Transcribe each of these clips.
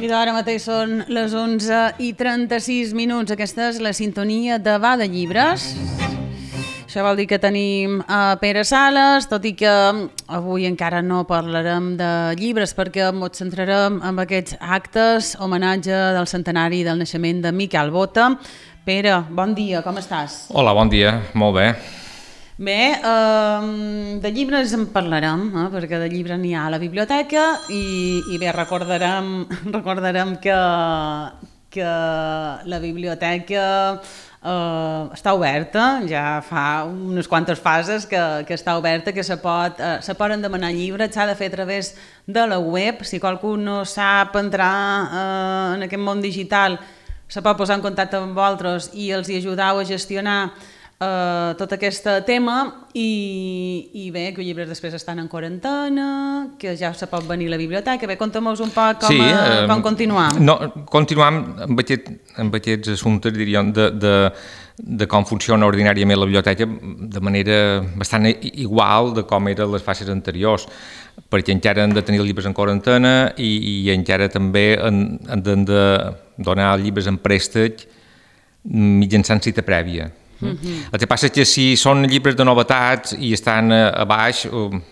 I ara mateix són les 11:36. Aquesta és la sintonia de Va de Llibres. Això vol dir que tenim a Pere Sales, tot i que avui encara no parlarem de llibres perquè ens centrarem en aquests actes, homenatge del centenari del naixement de Miquel Bota. Pere, bon dia, com estàs? Hola, bon dia, molt bé. Bé, de llibres en parlarem, perquè de llibres n'hi ha a la biblioteca i bé, recordarem que la biblioteca està oberta, ja fa unes quantes fases que està oberta, que se poden demanar llibres, s'ha de fer a través de la web. Si qualcú no sap entrar en aquest món digital, se pot posar en contacte amb vosaltres i els hi ajudeu a gestionar tot aquest tema i bé, que els llibres després estan en quarantena, que ja se pot venir a la biblioteca. Bé, conta'm-nos un poc com continuar. No, continuam amb aquests assumptes, diríem, de com funciona ordinàriament la biblioteca de manera bastant igual de com eren les fases anteriors, perquè encara hem de tenir els llibres en quarantena i encara també hem de donar els llibres en préstec mitjançant cita prèvia. El que passa és que si són llibres de novetats i estan a baix,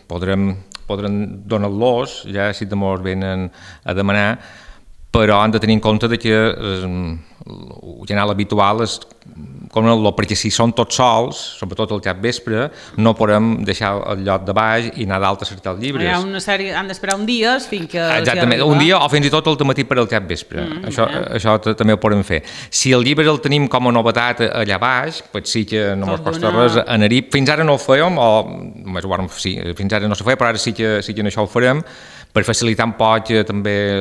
podrem donar-los, ja si demors venen a demanar, però han de tenir en compte que el general habitual és perquè si són tots sols, sobretot al capvespre, no podem deixar el lloc de baix i anar dalt a cercar els llibres. Hi ha una sèrie, han d'esperar un dia fins que... Exactament, un dia o fins i tot al matí per al capvespre. Això també ho podem fer. Si el llibre el tenim com a novetat allà baix, doncs sí que no ens costa res anar-hi. Fins ara no ho fèiem, fins ara no s'ho feia, però ara sí que en això ho farem, per facilitar un poc també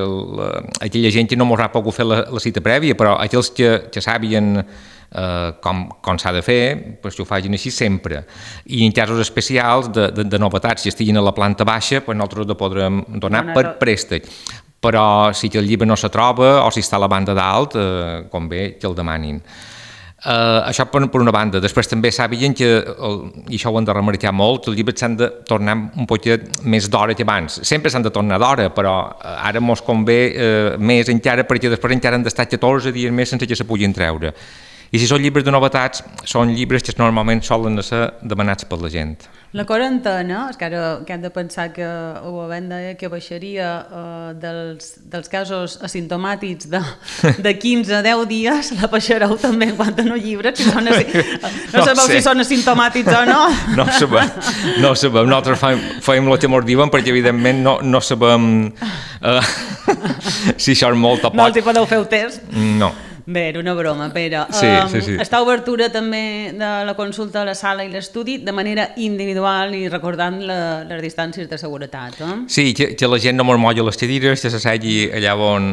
aquella gent que no ens ha pogut fer la cita prèvia, però aquells que sàpien com s'ha de fer, doncs ho facin així sempre. I en casos especials de novetats que estiguin a la planta baixa, doncs nosaltres ho podrem donar per préstec. Però si el llibre no se troba o si està a la banda dalt, convé que el demanin. Això per una banda. Després també sàpiguen que, i això ho hem de remarcar molt, que els llibres s'han de tornar un poquet més d'hora que abans. Sempre s'han de tornar d'hora, però ara ens convé més encara perquè després encara han d'estar 14 dies més sense que se puguin treure. I si són llibres de novetats, són llibres que normalment solen ser demanats per la gent. La quarantena, és que ara hem de pensar que ho havent de que baixaria dels casos asimptomàtics de 15 a 10 dies, la baixareu també en quant a no llibres, no sabeu si són asimptomàtics o no? No ho sabem. Nosaltres fem el que ens diuen perquè evidentment no sabem si això és molt o poc. No els hi podeu fer el test? No. Bé, era una broma, Pere. Sí. Està obertura també de la consulta a la sala i l'estudi de manera individual i recordant les distàncies de seguretat. Sí, que la gent no mos molla les cadires, que s'assegui allà on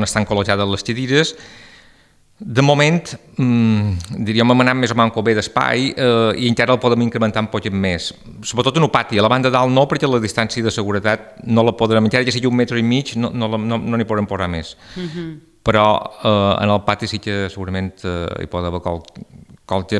estan col·locades les cadires. De moment, diríem, hem anat més o menys bé d'espai i encara el podem incrementar un poc més. Sobretot en el pati, a la banda dalt no, perquè la distància de seguretat no la podrem, encara que sigui 1,5 metres, no n'hi podrem posar més. Però en el pati sí que segurament hi pot haver qualque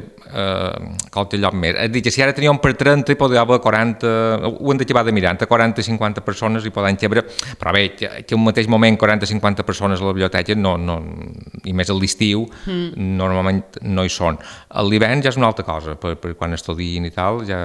lloc més. És a dir, que si ara teníem per 30 hi pot haver 40, ho hem d'acabar de mirar, entre 40 i 50 persones hi poden cabre, però bé, que un mateix moment 40-50 persones a la biblioteca, i més a l'estiu, normalment no hi són. A l'hivern ja és una altra cosa, per quan estudien i tal, ja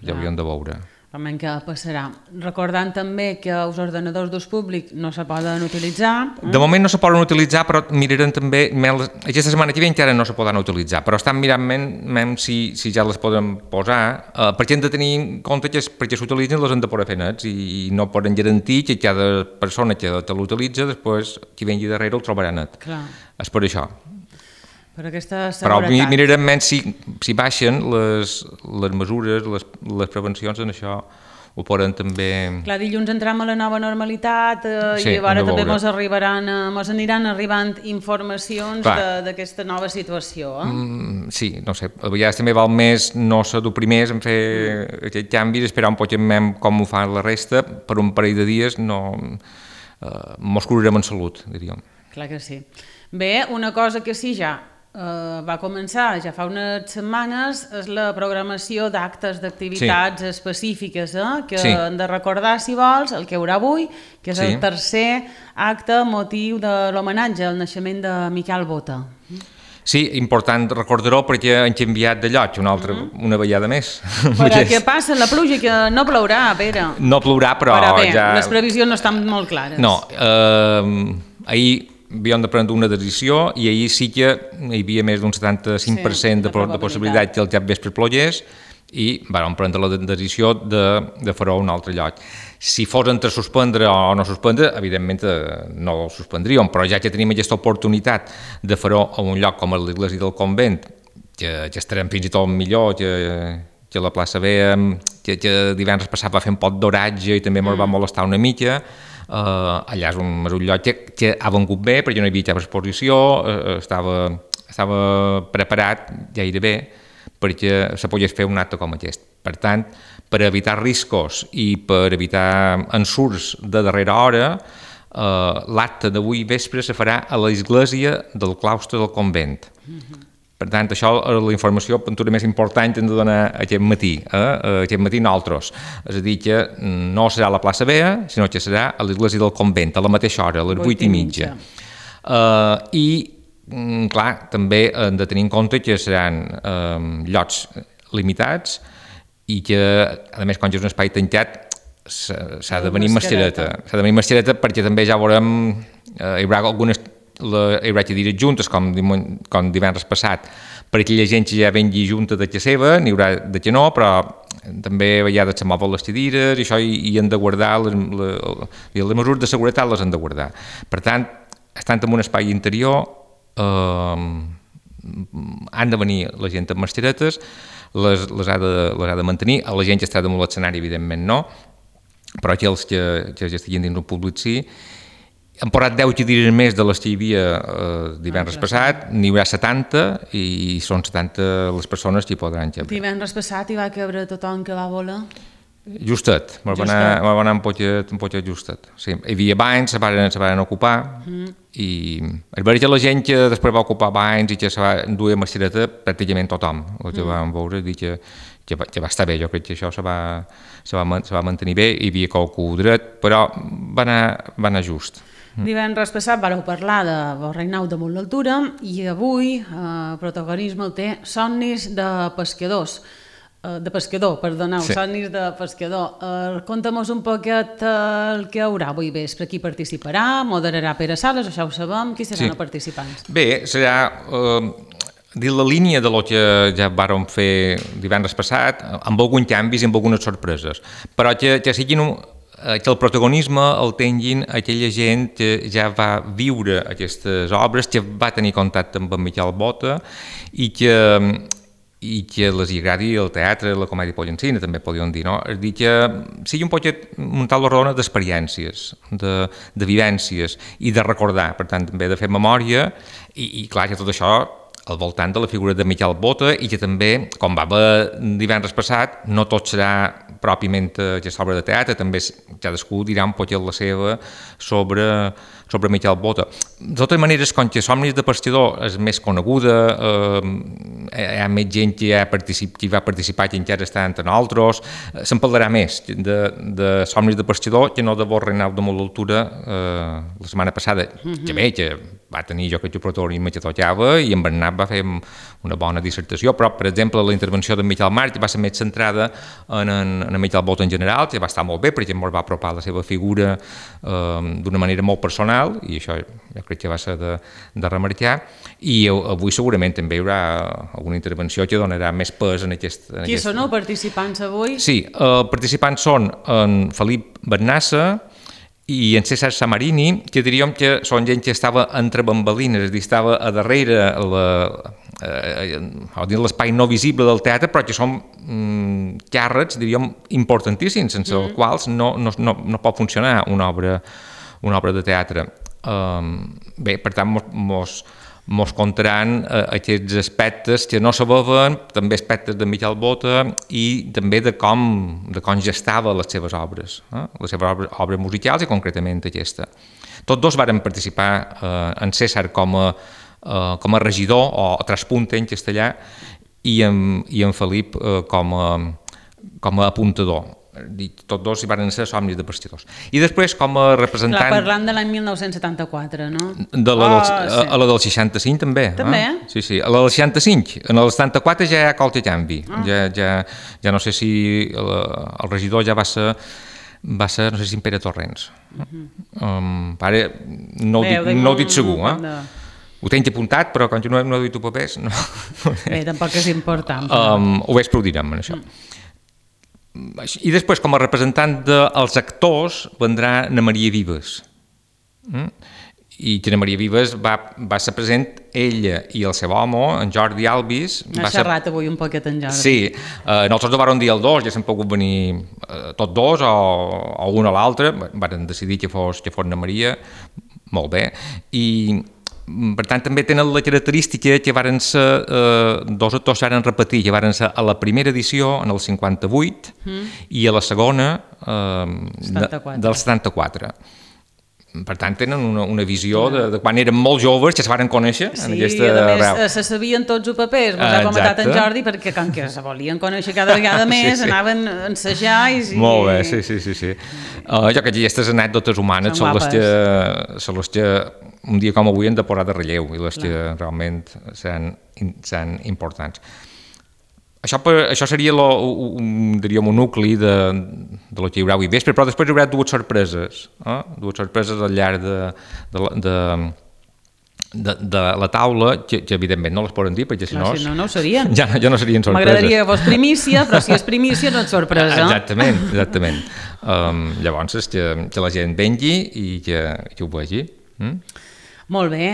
hauríem de veure. Realment què passarà. Recordant també que els ordenadors d'ús públic no se poden utilitzar. De moment no se poden utilitzar, però mirarem també, aquesta setmana que ve encara no se poden utilitzar, però estan mirant si ja les podem posar, perquè hem de tenir en compte que perquè s'utilitzen les hem de poder fer nets i no poden garantir que cada persona que l'utilitza després qui vengui darrere el trobarà net. És per això. Per aquesta seguretat. Però mirarem menys si baixen les mesures, les prevencions, en això ho poden també... Clar, dilluns entrem a la nova normalitat i ara també mos aniran arribant informacions d'aquesta nova situació. Sí, no sé, a vegades també val més no ser dur primers en fer aquest canvi, esperar un poc com ho fa la resta, per un parell de dies mos curarem en salut, diríem. Clar que sí. Bé, una cosa que sí ja va començar ja fa unes setmanes és la programació d'actes, d'activitats específiques, que hem de recordar, si vols, el que hi haurà avui, que és el tercer acte motiu de l'homenatge al naixement de Miquel Bota. Sí, important recordar-ho perquè han canviat de lloc una vegada més. Però què passa? La pluja, que no plourà, Pere. No plourà, però bé, ja... les previsions no estan molt clares. No, ahir havíem de prendre una decisió i ahir sí que hi havia més d'un 75% de possibilitat que el cap vespre plogués i vam prendre la decisió de fer-ho a un altre lloc. Si fos entre suspendre o no suspendre, evidentment no ho suspendríem, però ja que tenim aquesta oportunitat de fer-ho a un lloc com l'església del convent, que estarem fins i tot millor que la plaça B, que divendres passat va fer un pot d'oratge i també ens va molestar una mica. Allà és un lloc que ha vengut bé perquè no hi havia cap exposició, estava preparat gairebé perquè se pogués fer un acte com aquest. Per tant, per evitar riscos i per evitar ensurts de darrera hora, l'acte d'avui vespre se farà a l'església del claustre del convent. Per tant, això és la informació més important que hem de donar aquest matí. Aquest matí nosaltres. És a dir, que no serà a la plaça Bea, sinó que serà a l'església del convent, a la mateixa hora, a les 8:30. I, clar, també hem de tenir en compte que seran llocs limitats i que, a més, quan és un espai tancat, s'ha de venir mascareta. S'ha de venir mascareta perquè també ja veurem, hi haurà algunes hi haurà que dir juntes, com divendres passat, per aquella gent que ja vengui junta de que seva, n'hi haurà de que no, però també hi ha de se mouen les cadires i això hi han de guardar, les mesures de seguretat les han de guardar. Per tant, estant en un espai interior, han de venir la gent amb mascaretes, les ha de mantenir, a la gent que està damunt l'escenari, evidentment no, però aquells que ja estiguin dins un públic sí. Han posat 10 cadires més de les que hi havia divendres passat, n'hi haurà 70 i són 70 les persones que hi podran caber. Divendres passat hi va cabre tothom que va voler? Justet, va anar un poquet justet. Sí, hi havia banys, se van ocupar i és veritat que la gent que després va ocupar banys i que se va endur mascareta, pràcticament tothom, el que vam veure, dir que va estar bé, jo crec que això se va mantenir bé, hi havia qualcú dret, però va anar just. Divendres passat vareu parlar de Borreinau damunt l'altura i avui protagonisme el té Somnis de pescador, Somnis de pescador. Conta'm-nos un poquet el que hi haurà avui vespre, qui participarà, moderarà Pere Sales, això ho sabem, qui seran els participants? Bé, serà dins la línia de lo que ja vàrem fer divendres passat, amb alguns canvis i amb algunes sorpreses, però que siguin que el protagonisme el tinguin aquella gent que ja va viure aquestes obres, que va tenir contacte amb en Miquel Bota i que les agradi el teatre, la comèdia pollancina, també podríem dir, no? És dir, que sigui un poquet un tal rodona d'experiències, de vivències i de recordar, per tant, també de fer memòria i clar, que tot això al voltant de la figura de Miquel Bota i que també, com va haver divendres passat, no tot serà pròpiament aquesta obra de teatre, també cadascú dirà un poquet la seva sobre Miquel Bota. De totes maneres, com que Somnis de pescador és més coneguda, hi ha més gent que va participar que encara està entre nosaltres, se'n parlarà més de Somnis de pescador que no de Borreinau damunt l'altura la setmana passada, que bé, que va tenir jo que protagonisme que tocava i en Bernat va fer una bona dissertació, però per exemple la intervenció d'en Miquel March va ser més centrada en Miquel Bota en general, que va estar molt bé perquè ens va apropar la seva figura d'una manera molt personal i això jo crec que va ser de remarcar i avui segurament també hi haurà alguna intervenció que donarà més pes en aquest... Qui són els participants avui? Sí, els participants són en Felip Bernassa i en César Samarini, que diríem que són gent que estava entre bambalines, és a dir, estava a darrere l'espai no visible del teatre, però que són càrrecs, diríem, importantíssims, sense els quals no pot funcionar una obra de teatre. Bé, per tant, mos contaran aquests aspectes que no sabaven, també aspectes de Miquel Bota i també de com gestava les seves obres, les seves obres musicals i concretament aquesta. Tots dos varen participar en César com a regidor o traspunte en castellà i en Felip com a apuntador. Tots dos hi van ser somnis de pescadors. I després, com a representant... Clar, parlant de l'any 1974, no? A la del 65 també. També? Sí, a la del 65. En el 74 ja hi ha qualque canvi. Ja no sé si el regidor ja va ser, no sé si en Pere Torrents. Ara no ho dic segur, Ho tenc apuntat, però quan jo no he dit papers... Bé, tampoc és important. Ho veig, però ho direm, això. I després, com a representant dels actors, vendrà na Maria Vives. I que na Maria Vives va ser present, ella i el seu home, en Jordi Alvis... Ha xerrat avui un poquet en Jordi. Sí, nosaltres no vàrem dir el dos, ja s'han pogut venir tots dos o un o l'altre, varen decidir que fos na Maria, molt bé, i per tant també tenen la característica que varen ser dos actors que varen repetir, que varen ser a la primera edició en el 58 i a la segona del 74. Per tant, tenen una visió de quan eren molt joves, que se varen conèixer en aquesta veu. Sí, a més, se sabien tots els papers, ha comentat en Jordi, perquè com que se volien conèixer cada vegada més, anaven a ensejar i... Molt bé, sí. Jo que aquestes anècdotes humanes són les que un dia com avui han de posar de relleu i les que realment seran importants. Això seria diríem, un nucli de lo que hi haurà avui vespre, però després hi haurà dues sorpreses al llarg de la taula, que evidentment no les poden dir, perquè si no... Si no ho serien. Ja no serien sorpreses. M'agradaria que fos primícia, però si és primícia no és sorpresa. Exactament. Llavors és que la gent vengui i que ho vegi. Molt bé,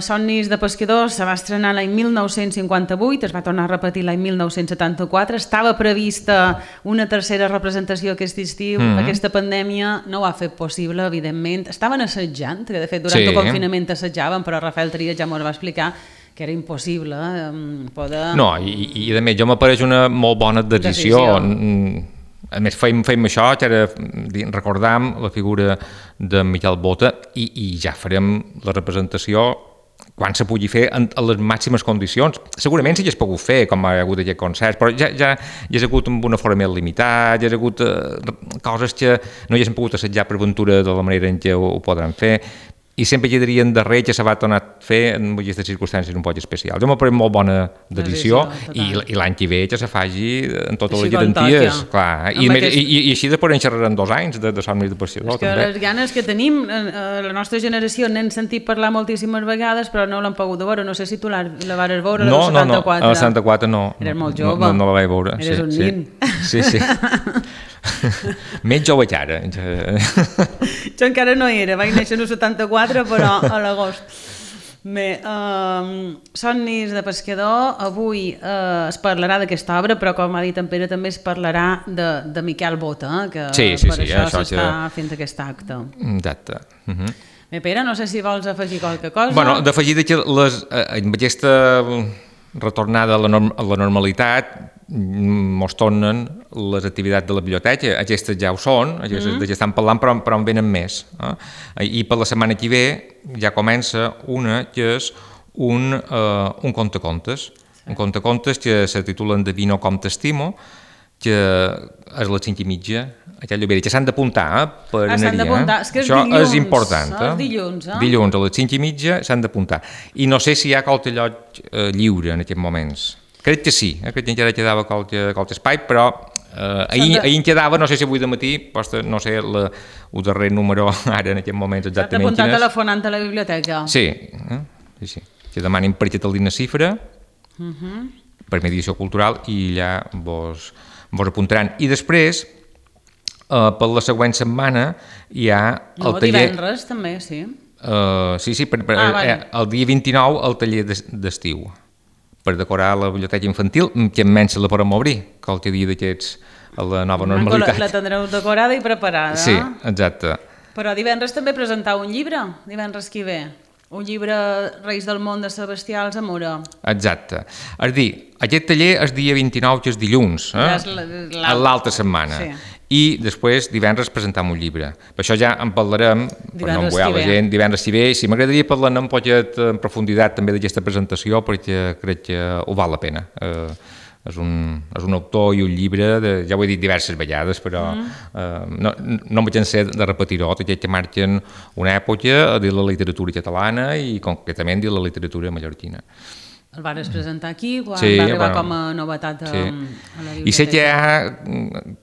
Somnis de pescadors se va estrenar l'any 1958, es va tornar a repetir l'any 1974, estava prevista una tercera representació aquest estiu, aquesta pandèmia no ho ha fet possible, evidentment, estaven assajant, que de fet durant el confinament assajaven, però Rafael Trias ja m'ho va explicar, que era impossible poder... No, i a més, jo m'apareix una molt bona decisió. A més, fem això, que ara recordam la figura de Miquel Bota i ja farem la representació quan se pugui fer en les màximes condicions. Segurament sí que es pogut fer, com ha hagut aquest concert, però ja hi ha hagut amb una forma més limitada, ja ha hagut coses que no hi hagin pogut assetjar per ventura de la manera en què ho podran fer, i sempre quedarien darrer que se va tornar a fer en aquestes circumstàncies un poc especials. Jo m'ha parat molt bona decisió i l'any que ve que se faci en totes les garanties. Clar. I així després en xerraran 2 anys de Somnis de pescadors. És que les ganes que tenim, la nostra generació n'hem sentit parlar moltíssimes vegades, però no l'hem pogut veure. No sé si tu la vares veure, la del 74. No, a la 74 no. Eres molt jove. No la vaig veure. Eres un nin. Sí. Menys jove que ara. Jo encara no era, vaig néixer en el 74, però a l'agost. Bé, Somnis de pescador, avui es parlarà d'aquesta obra, però com ha dit en Pere també es parlarà de Miquel Bota, que per això s'està fent aquest acte. Exacte. Bé, Pere, no sé si vols afegir qualque cosa. Bueno, d'afegir que amb aquesta retornada a la normalitat mos tornen les activitats de la biblioteca. Aquestes ja ho són, aquestes de què estan parlant, però en venen més. I per la setmana que ve ja comença una que és un contacontes. Un contacontes que se titula Endevino com t'estimo, que és a les 5:30 a Can Llobera, que s'han d'apuntar per anar-hi. És que és això dilluns, és important. Dilluns a les 5:30 s'han d'apuntar. I no sé si hi ha qualque lloc lliure en aquests moments. Crec que sí, crec que encara quedava qualque espai, però ahir en quedava, no sé si avui de matí, no sé el darrer número ara en aquest moment exactament quin és. S'ha d'apuntar telefonant a la biblioteca. Sí. Que demanin per Catalina Cifra, per Mediació Cultural, i allà vos apuntaran. I després, per la següent setmana, hi ha el taller... Divendres també, sí. Sí, el dia 29 el taller d'estiu. per decorar la biblioteca infantil, que menys la podem obrir, qualque dia d'aquests a la nova normalitat. La tindreu decorada i preparada. Sí, exacte. Però divendres també presentau un llibre, divendres que ve. Un llibre Reis del món de Sebastià Alsamora. Exacte. És dir, aquest taller és dia 29, que és dilluns, l'altra setmana. Sí. I després divendres presentam un llibre. Per això ja en parlarem, per no envoiar la gent, divendres si ve. Si m'agradaria parlar un poquet en profunditat també d'aquesta presentació, perquè crec que ho val la pena. És un autor i un llibre, ja ho he dit diverses vegades, però no em cansaré de repetir-ho, aquests que marquen una època de la literatura catalana i concretament de la literatura mallorquina. El vas presentar aquí, quan va arribar com a novetat a la biblioteca. I sé que hi ha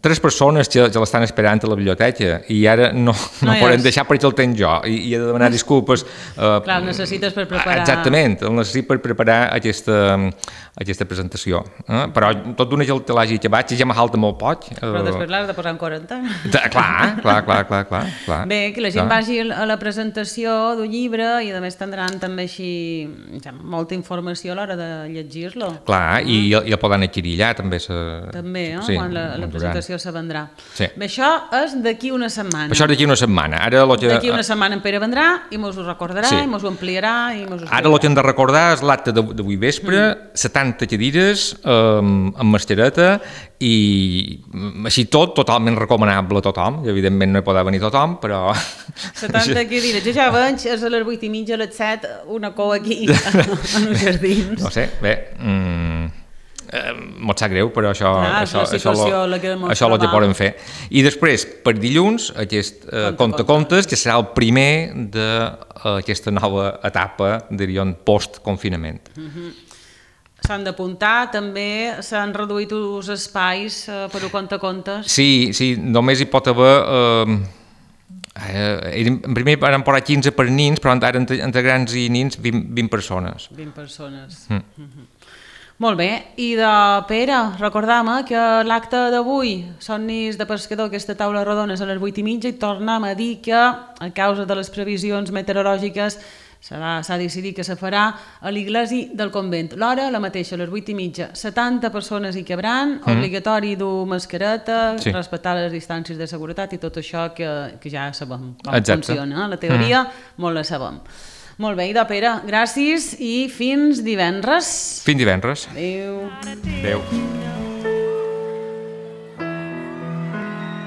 3 persones que l'estan esperant a la biblioteca i ara no poden deixar perquè el tenc jo i he de demanar disculpes. Clar, el necessites per preparar... Exactament, el necessito per preparar aquesta presentació. Però tot d'una que te l'hagi acabat, que ja m'ha falta molt poc. Però després l'has de posar en quarantena. Clar. Bé, que la gent vagi a la presentació d'un llibre i a més tindran també així molta informació a l'hora de llegir-lo. Clar, i el poden adquirir allà també. També, quan la presentació se vendrà. Sí. Bé, això és d'aquí una setmana. Això és d'aquí una setmana. D'aquí una setmana en Pere vendrà i mos ho recordarà i mos ho ampliarà i mos ho explicarà. Ara el que hem de recordar és l'acte d'avui vespre, 70 cadires amb mascareta i així totalment recomanable a tothom. Evidentment no hi podrà venir tothom, però... 70 cadires. Jo ja veig, és a les 8:30, a les 7, una cou aquí en un jardí. No sé, bé, mos sap greu, però això el que podem fer. I després, per dilluns, aquest conte-contes, que serà el primer d'aquesta nova etapa, diríem, post-confinament. S'han d'apuntar, també s'han reduït els espais per un conte-contes. Sí, només hi pot haver... En primer van posar 15 per nins, però ara entre grans i nins 20 persones. 20 persones. Molt bé, i de Pere, recordam que l'acte d'avui, Somnis de Pescador, aquesta taula rodona és a les 8:30 i tornem a dir que a causa de les previsions meteorològiques s'ha decidit que se farà a l'església del convent. L'hora, la mateixa, a les 8:30. 70 persones hi cabran, obligatori dur mascareta, respectar les distàncies de seguretat i tot això que ja sabem com funciona. La teoria molt la sabem. Molt bé, Pere, gràcies i fins divendres. Fins divendres. Adéu. Adéu.